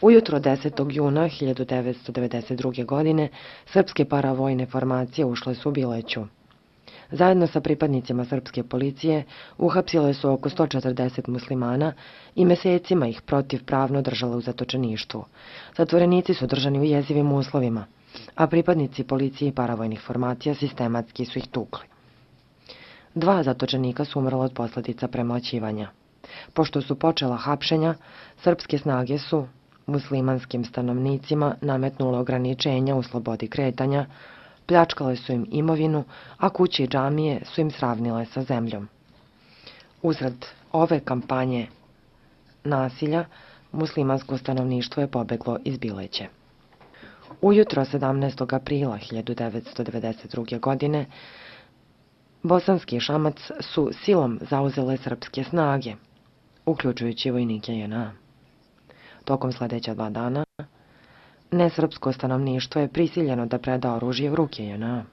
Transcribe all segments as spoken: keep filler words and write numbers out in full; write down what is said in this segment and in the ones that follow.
Ujutro desetog juna hiljadu devetsto devedeset druge. godine srpske paravojne formacije ušle su u Bileću. Zajedno sa pripadnicima srpske policije uhapsile su oko sto četrdeset muslimana i mesecima ih protivpravno držale u zatočeništvu. Zatvorenici su držani u jezivim uslovima, a pripadnici policije i paravojnih formacija sistematski su ih tukli. Dva zatočenika su umrla od posledica premoćivanja. Pošto su počela hapšenja, srpske snage su muslimanskim stanovnicima nametnule ograničenja u slobodi kretanja, pljačkale su im imovinu, a kuće i džamije su im sravnile sa zemljom. Uzrad ove kampanje nasilja, muslimansko stanovništvo je pobeglo iz Bileće. Ujutro sedamnaestog aprila hiljadu devetsto devedeset druge. godine Bosanski Šamac su silom zauzele srpske snage, uključujući vojnike J N A. Tokom sledeća dva dana, nesrpsko stanovništvo je prisiljeno da preda oružje u ruke J N A.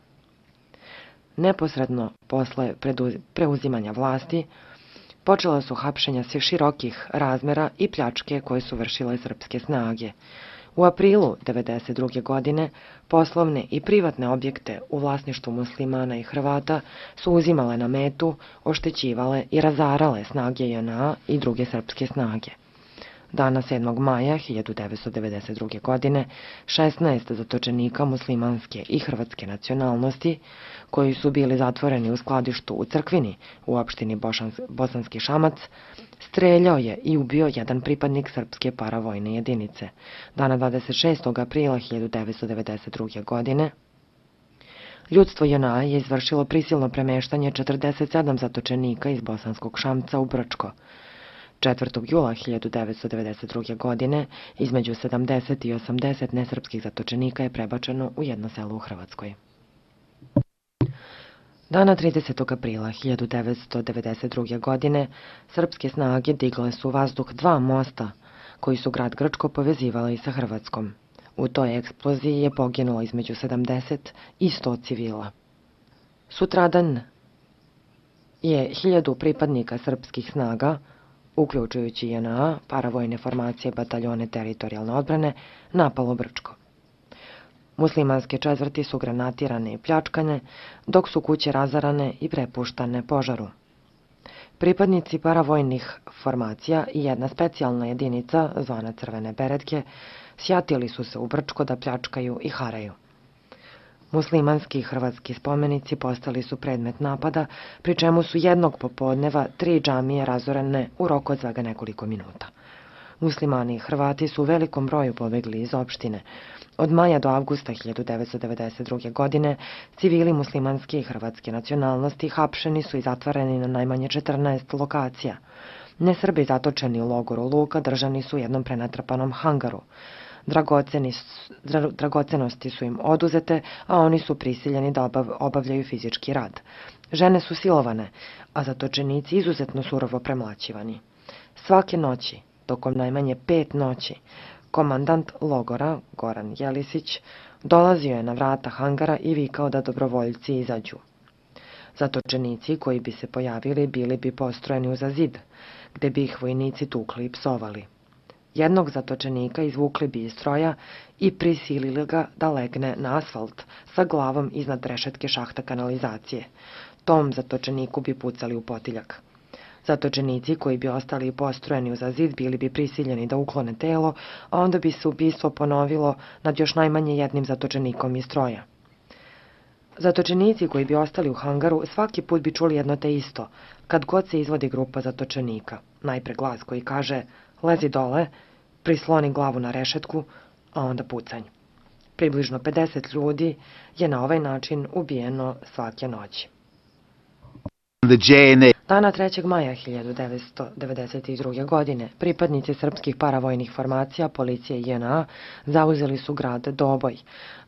Neposredno posle preuzimanja vlasti, počela su hapšenja svih širokih razmera i pljačke koje su vršile srpske snage. U aprilu devedeset druge. godine poslovne i privatne objekte u vlasništvu muslimana i Hrvata su uzimale na metu, oštećivale i razarale snage J N A i druge srpske snage. Dana sedmog maja hiljadu devetsto devedeset druge. godine šesnaest zatočenika muslimanske i hrvatske nacionalnosti, koji su bili zatvoreni u skladištu u Crkvini u opštini Bosanski Šamac, streljao je i ubio jedan pripadnik srpske paravojne jedinice. Dana dvadeset šestog aprila hiljadu devetsto devedeset druge. godine ljudstvo J N A je izvršilo prisilno premeštanje četrdeset sedam zatočenika iz Bosanskog Šamca u Brčko. četvrtog jula hiljadu devetsto devedeset druge. godine između sedamdeset i osamdeset nesrpskih zatočenika je prebačeno u jedno selo u Hrvatskoj. Dana tridesetog aprila hiljadu devetsto devedeset druge. godine srpske snage digle su u vazduh dva mosta koji su grad Grčko povezivali sa Hrvatskom. U toj eksploziji je poginulo između sedamdeset i sto civila. Sutradan je hiljadu pripadnika srpskih snaga, uključujući J N A, paravojne formacije, bataljone teritorijalne odbrane, napalo Brčko. Muslimanske četvrti su granatirane i pljačkane, dok su kuće razarane i prepuštane požaru. Pripadnici paravojnih formacija i jedna specijalna jedinica, zvana Crvene beretke, sjatili su se u Brčko da pljačkaju i haraju. Muslimanski i hrvatski spomenici postali su predmet napada, pri čemu su jednog popodneva tri džamije razorene u roku od svega nekoliko minuta. Muslimani i Hrvati su u velikom broju pobegli iz opštine. Od maja do avgusta hiljadu devetsto devedeset druge. godine civili muslimanske i hrvatske nacionalnosti hapšeni su i zatvoreni na najmanje četrnaest lokacija. Nesrbi zatočeni u logoru Luka držani su u jednom prenatrpanom hangaru. Dragocenosti su im oduzete, a oni su prisiljeni da obavljaju fizički rad. Žene su silovane, a zatočenici izuzetno surovo premlaćivani. Svake noći, tokom najmanje pet noći, komandant logora, Goran Jelisić, dolazio je na vrata hangara i vikao da dobrovoljci izađu. Zatočenici koji bi se pojavili bili bi postrojeni uza zid, gde bi ih vojnici tukli i psovali. Jednog zatočenika izvukli bi iz stroja i prisilili ga da legne na asfalt sa glavom iznad rešetke šahta kanalizacije. Tom zatočeniku bi pucali u potiljak. Zatočenici koji bi ostali postrojeni uza zid bili bi prisiljeni da uklone telo, a onda bi se ubistvo ponovilo nad još najmanje jednim zatočenikom iz stroja. Zatočenici koji bi ostali u hangaru svaki put bi čuli jedno te isto, kad god se izvodi grupa zatočenika. Najpre glas koji kaže: lezi dole, prisloni glavu na rešetku, a onda pucanj. Približno pedeset ljudi je na ovaj način ubijeno svake noći. Dana trećeg maja hiljadu devetsto devedeset druge. godine pripadnici srpskih paravojnih formacija, policije i J N A zauzeli su grad Doboj,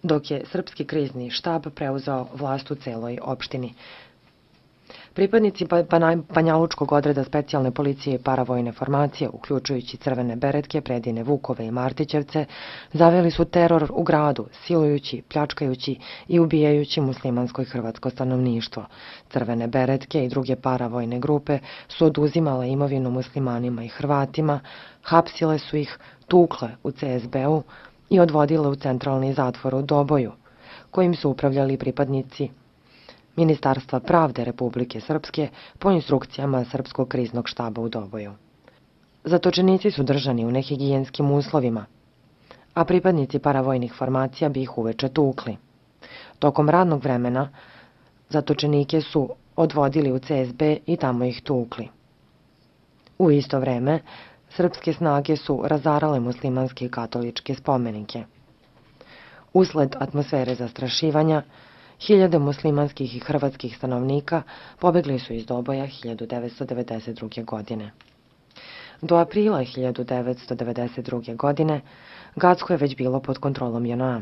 dok je srpski krizni štab preuzeo vlast u celoj opštini. Pripadnici Banjalučkog odreda specijalne policije i paravojne formacije, uključujući Crvene beretke, Predine Vukove i Martićevce, zaveli su teror u gradu, silujući, pljačkajući i ubijajući muslimansko i hrvatsko stanovništvo. Crvene beretke i druge paravojne grupe su oduzimale imovinu muslimanima i Hrvatima, hapsile su ih, tukle u C S B-u i odvodile u centralni zatvor u Doboju, kojim su upravljali pripadnici Ministarstva pravde Republike Srpske po instrukcijama Srpskog kriznog štaba u Doboju. Zatočenici su držani u nehigijenskim uslovima, a pripadnici paravojnih formacija bi ih uveče tukli. Tokom radnog vremena zatočenike su odvodili u C S B i tamo ih tukli. U isto vreme, srpske snage su razarale muslimanske i katoličke spomenike. Usled atmosfere zastrašivanja, hiljade muslimanskih i hrvatskih stanovnika pobegli su iz Doboja hiljadu devetsto devedeset druge. godine. Do aprila hiljadu devetsto devedeset druge. godine Gacko je već bilo pod kontrolom J N A.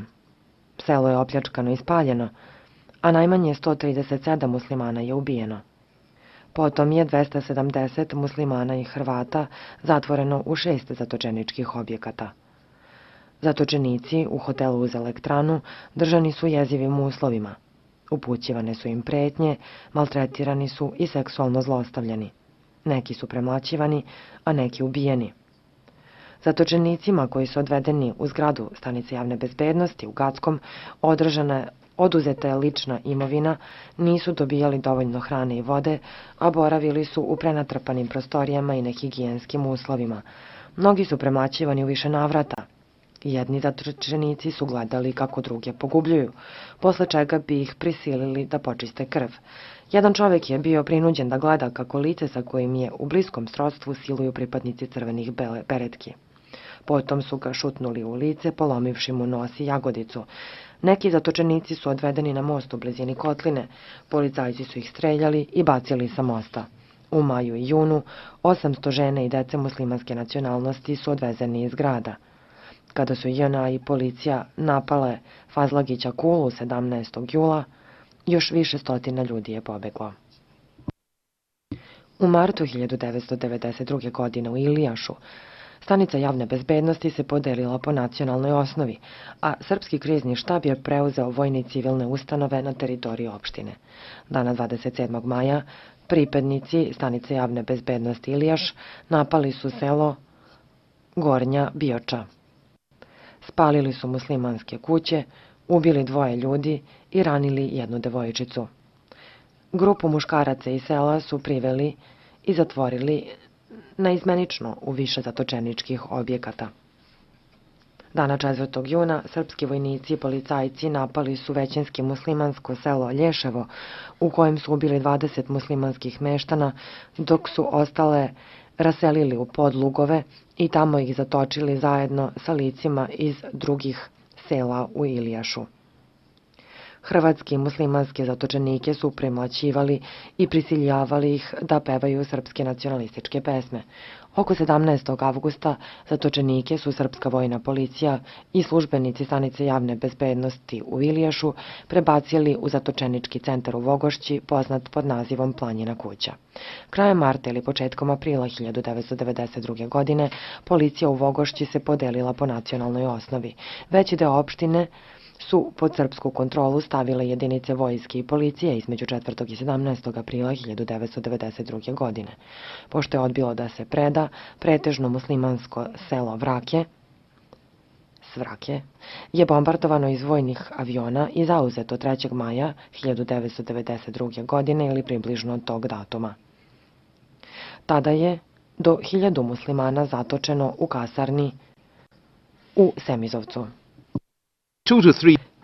Selo je opljačkano i spaljeno, a najmanje sto trideset sedam muslimana je ubijeno. Potom je dvesta sedamdeset muslimana i Hrvata zatvoreno u šest zatočeničkih objekata. Zatočenici u hotelu uz elektranu držani su jezivim uslovima. Upućivane su im pretnje, maltretirani su i seksualno zlostavljani. Neki su premlaćivani, a neki ubijeni. Zatočenicima koji su odvedeni u zgradu stanice javne bezbednosti u Gackom održana je oduzeta je lična imovina, nisu dobijali dovoljno hrane i vode, a boravili su u prenatrpanim prostorijama i nehigijenskim uslovima. Mnogi su premlaćivani u više navrata. Jedni zatočenici su gledali kako druge pogubljuju, posle čega bi ih prisilili da počiste krv. Jedan čovek je bio prinuđen da gleda kako lice sa kojim je u bliskom srodstvu siluju pripadnici crvenih beretki. Potom su ga šutnuli u lice, polomivši mu nos i jagodicu. Neki zatočenici su odvedeni na most u blizini kotline, policajci su ih streljali i bacili sa mosta. U maju i junu osamsto žene i dece muslimanske nacionalnosti su odvezeni iz grada. Kada su J N A i policija napale Fazlagića Kulu sedamnaestog jula, još više stotina ljudi je pobeglo. U martu hiljadu devetsto devedeset druge. godine u Ilijašu stanica javne bezbednosti se podelila po nacionalnoj osnovi, a Srpski krizni štab je preuzeo vojne i civilne ustanove na teritoriji opštine. Dana dvadeset sedmog maja pripadnici stanice javne bezbednosti Ilijaš napali su selo Gornja Bioča. Spalili su muslimanske kuće, ubili dvoje ljudi i ranili jednu devojčicu. Grupu muškaraca iz sela su priveli i zatvorili naizmenično u više zatočeničkih objekata. Dana četvrtog juna srpski vojnici i policajci napali su većinski muslimansko selo Lješevo, u kojem su ubili dvadeset muslimanskih meštana, dok su ostale raselili u podlugove i tamo ih zatočili zajedno sa licima iz drugih sela u Ilijašu. Hrvatski muslimanske zatočenike su premlaćivali i prisiljavali ih da pevaju srpske nacionalističke pesme. Oko sedamnaestog avgusta zatočenike su srpska vojna policija i službenici stanice javne bezbednosti u Ilijašu prebacili u zatočenički centar u Vogošći, poznat pod nazivom Planjina kuća. Krajem marta ili početkom aprila hiljadu devetsto devedeset druge. godine policija u Vogošći se podelila po nacionalnoj osnovi. Veći deo opštine su pod srpsku kontrolu stavile jedinice vojske i policije između četvrtog i sedamnaestog aprila hiljadu devetsto devedeset druge. godine. Pošto je odbilo da se preda, pretežno muslimansko selo Vrake, Svrake, je bombardovano iz vojnih aviona i zauzeto trećeg maja hiljadu devetsto devedeset druge. godine ili približno tog datuma. Tada je do hiljadu muslimana zatočeno u kasarni u Semizovcu.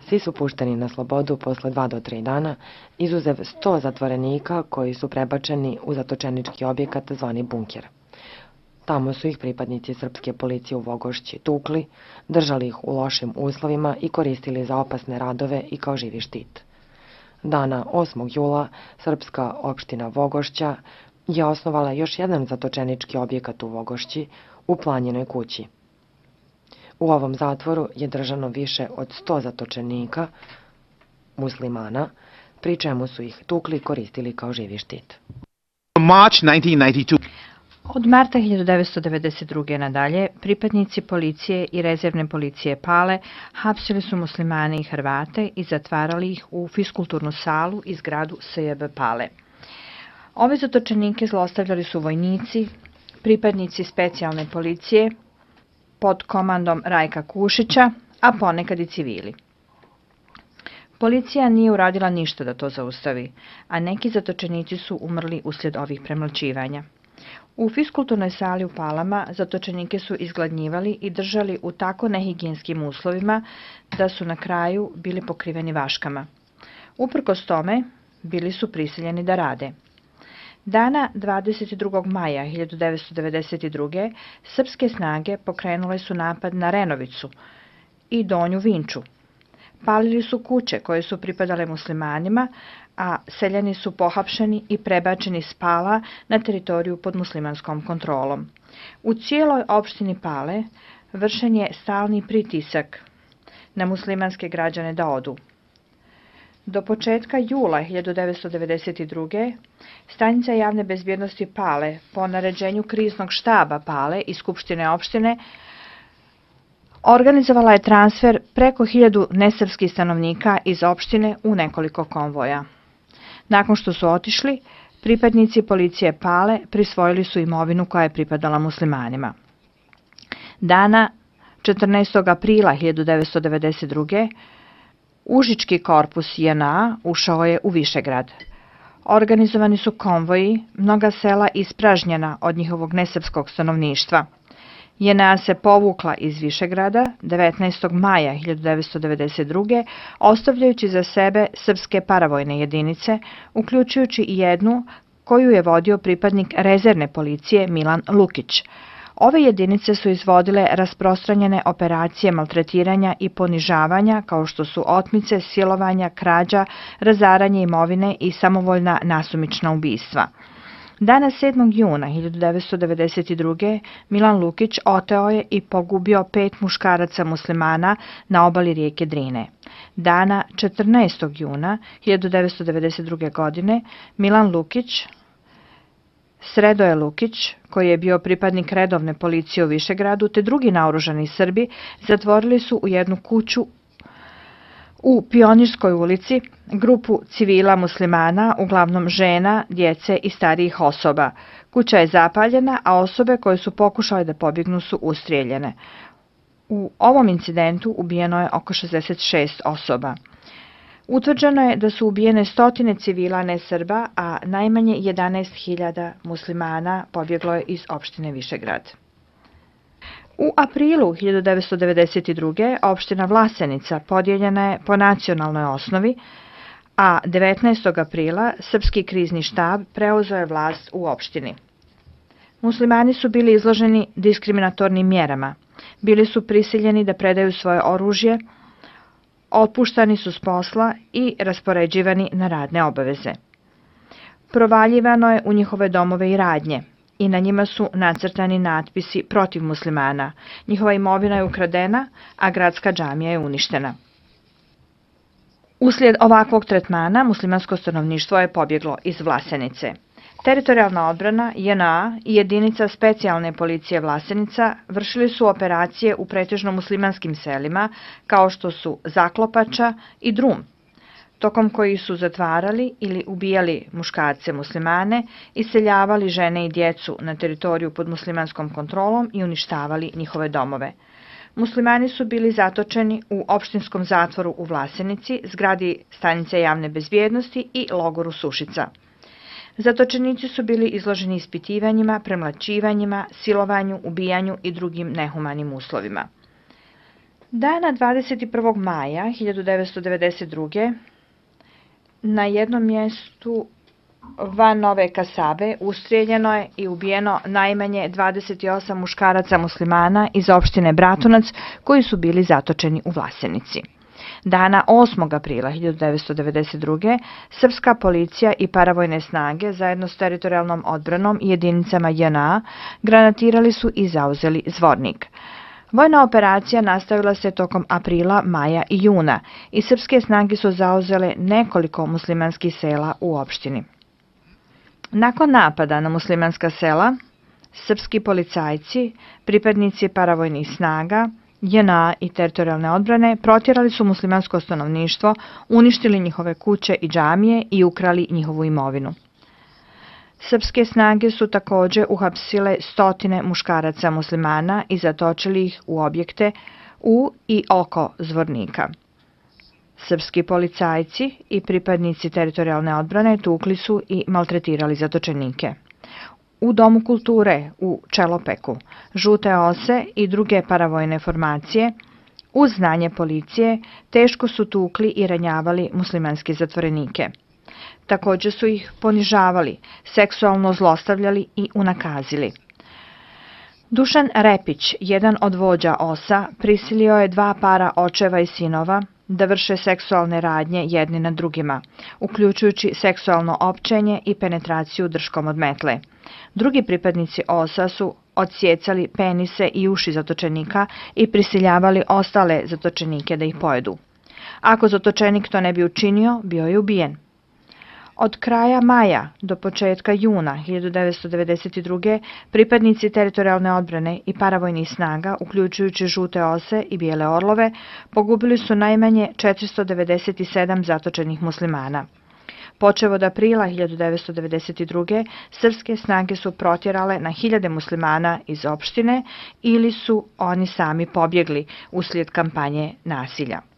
Svi su pušteni na slobodu posle dva do tri dana, izuzev sto zatvorenika koji su prebačeni u zatočenički objekat zvani bunker. Tamo su ih pripadnici srpske policije u Vogošći tukli, držali ih u lošim uslovima i koristili za opasne radove i kao živi štit. Dana osmog jula srpska opština Vogošća je osnovala još jedan zatočenički objekat u Vogošći u Planjinoj kući. U ovom zatvoru je držano više od sto zatočenika, muslimana, pri čemu su ih tukli i koristili kao živi štit. Od marta hiljadu devetsto devedeset druge. nadalje, pripadnici policije i rezervne policije Pale hapsili su muslimane i Hrvate i zatvarali ih u fiskulturnu salu i zgradu S J B Pale. Ove zatočenike zlostavljali su vojnici, pripadnici specijalne policije pod komandom Rajka Kušića, a ponekad i civili. Policija nije uradila ništa da to zaustavi, a neki zatočenici su umrli uslijed ovih premlaćivanja. U fiskulturnoj sali u Palama zatočenike su izgladnjivali i držali u tako nehigijenskim uslovima da su na kraju bili pokriveni vaškama. Uprkos tome, bili su prisiljeni da rade. Dana dvadeset drugog maja hiljadu devetsto devedeset druge. srpske snage pokrenule su napad na Renovicu i Donju Vinču. Palili su kuće koje su pripadale muslimanima, a seljani su pohapšeni i prebačeni s Pala na teritoriju pod muslimanskom kontrolom. U cijeloj opštini Pale vršen je stalni pritisak na muslimanske građane da odu. Do početka jula hiljadu devetsto devedeset druge. stanica javne bezbjednosti Pale po naređenju kriznog štaba Pale i Skupštine opštine organizovala je transfer preko hiljadu nesrpskih stanovnika iz opštine u nekoliko konvoja. Nakon što su otišli, pripadnici policije Pale prisvojili su imovinu koja je pripadala muslimanima. Dana četrnaestog aprila hiljadu devetsto devedeset druge. Užički korpus J N A ušao je u Višegrad. Organizovani su konvoji, mnoga sela ispražnjena od njihovog nesrpskog stanovništva. J N A se povukla iz Višegrada devetnaestog maja hiljadu devetsto devedeset druge. ostavljajući za sebe srpske paravojne jedinice, uključujući i jednu koju je vodio pripadnik rezervne policije Milan Lukić. Ove jedinice su izvodile rasprostranjene operacije maltretiranja i ponižavanja kao što su otmice, silovanja, krađa, razaranje imovine i samovoljna nasumična ubistva. Dana sedmog juna hiljadu devetsto devedeset druge. Milan Lukić oteo je i pogubio pet muškaraca muslimana na obali rijeke Drine. Dana četrnaestog juna hiljadu devetsto devedeset druge. godine Milan Lukić, Sredoje Lukić, koji je bio pripadnik redovne policije u Višegradu, te drugi naoružani Srbi, zatvorili su u jednu kuću u Pionirskoj ulici grupu civila muslimana, uglavnom žena, djece i starijih osoba. Kuća je zapaljena, a osobe koje su pokušale da pobjegnu su ustrijeljene. U ovom incidentu ubijeno je oko šezdeset šest osoba. Utvrđeno je da su ubijene stotine civila ne Srba, a najmanje jedanaest hiljada muslimana pobjeglo je iz opštine Višegrad. U aprilu hiljadu devetsto devedeset druge. opština Vlasenica podijeljena je po nacionalnoj osnovi, a devetnaestog aprila srpski krizni štab preuzeo je vlast u opštini. Muslimani su bili izloženi diskriminatornim mjerama. Bili su prisiljeni da predaju svoje oružje, otpuštani su s posla i raspoređivani na radne obaveze. Provaljivano je u njihove domove i radnje i na njima su nacrtani natpisi protiv muslimana. Njihova imovina je ukradena, a gradska džamija je uništena. Uslijed ovakvog tretmana muslimansko stanovništvo je pobjeglo iz Vlasenice. Teritorijalna odbrana J N A i jedinica specijalne policije Vlasenica vršili su operacije u pretežno muslimanskim selima kao što su Zaklopača i Drum, tokom kojih su zatvarali ili ubijali muškarce muslimane, iseljavali žene i djecu na teritoriju pod muslimanskom kontrolom i uništavali njihove domove. Muslimani su bili zatočeni u opštinskom zatvoru u Vlasenici, zgradi stanice javne bezbjednosti i logoru Sušica. Zatočenici su bili izloženi ispitivanjima, premlaćivanjima, silovanju, ubijanju i drugim nehumanim uslovima. Dana dvadeset prvog maja hiljadu devetsto devedeset druge. na jednom mjestu van Nove Kasabe ustrijeljeno je i ubijeno najmanje dvadeset osam muškaraca muslimana iz opštine Bratunac koji su bili zatočeni u Vlasenici. Dana osmog aprila hiljadu devetsto devedeset druge. srpska policija i paravojne snage zajedno s teritorijalnom odbranom i jedinicama J N A granatirali su i zauzeli Zvornik. Vojna operacija nastavila se tokom aprila, maja i juna i srpske snage su zauzele nekoliko muslimanskih sela u opštini. Nakon napada na muslimanska sela, srpski policajci, pripadnici paravojnih snaga, J N A i teritorijalne odbrane protjerali su muslimansko stanovništvo, uništili njihove kuće i džamije i ukrali njihovu imovinu. Srpske snage su takođe uhapsile stotine muškaraca muslimana i zatočili ih u objekte u i oko Zvornika. Srpski policajci i pripadnici teritorijalne odbrane tukli su i maltretirali zatočenike. U Domu kulture u Čelopeku žute ose i druge paravojne formacije uz znanje policije teško su tukli i ranjavali muslimanske zatvorenike. Takođe su ih ponižavali, seksualno zlostavljali i unakazili. Dušan Repić, jedan od vođa osa, prisilio je dva para očeva i sinova da vrše seksualne radnje jedni nad drugima, uključujući seksualno općenje i penetraciju drškom od metle. Drugi pripadnici osa su odsjecali penise i uši zatočenika i prisiljavali ostale zatočenike da ih pojedu. Ako zatočenik to ne bi učinio, bio je ubijen. Od kraja maja do početka juna hiljadu devetsto devedeset druge. pripadnici teritorijalne odbrane i paravojnih snaga, uključujući žute ose i bijele orlove, pogubili su najmanje četiristo devedeset sedam zatočenih muslimana. Počev od aprila hiljadu devetsto devedeset druge. srpske snage su protjerale na hiljade muslimana iz opštine ili su oni sami pobjegli uslijed kampanje nasilja.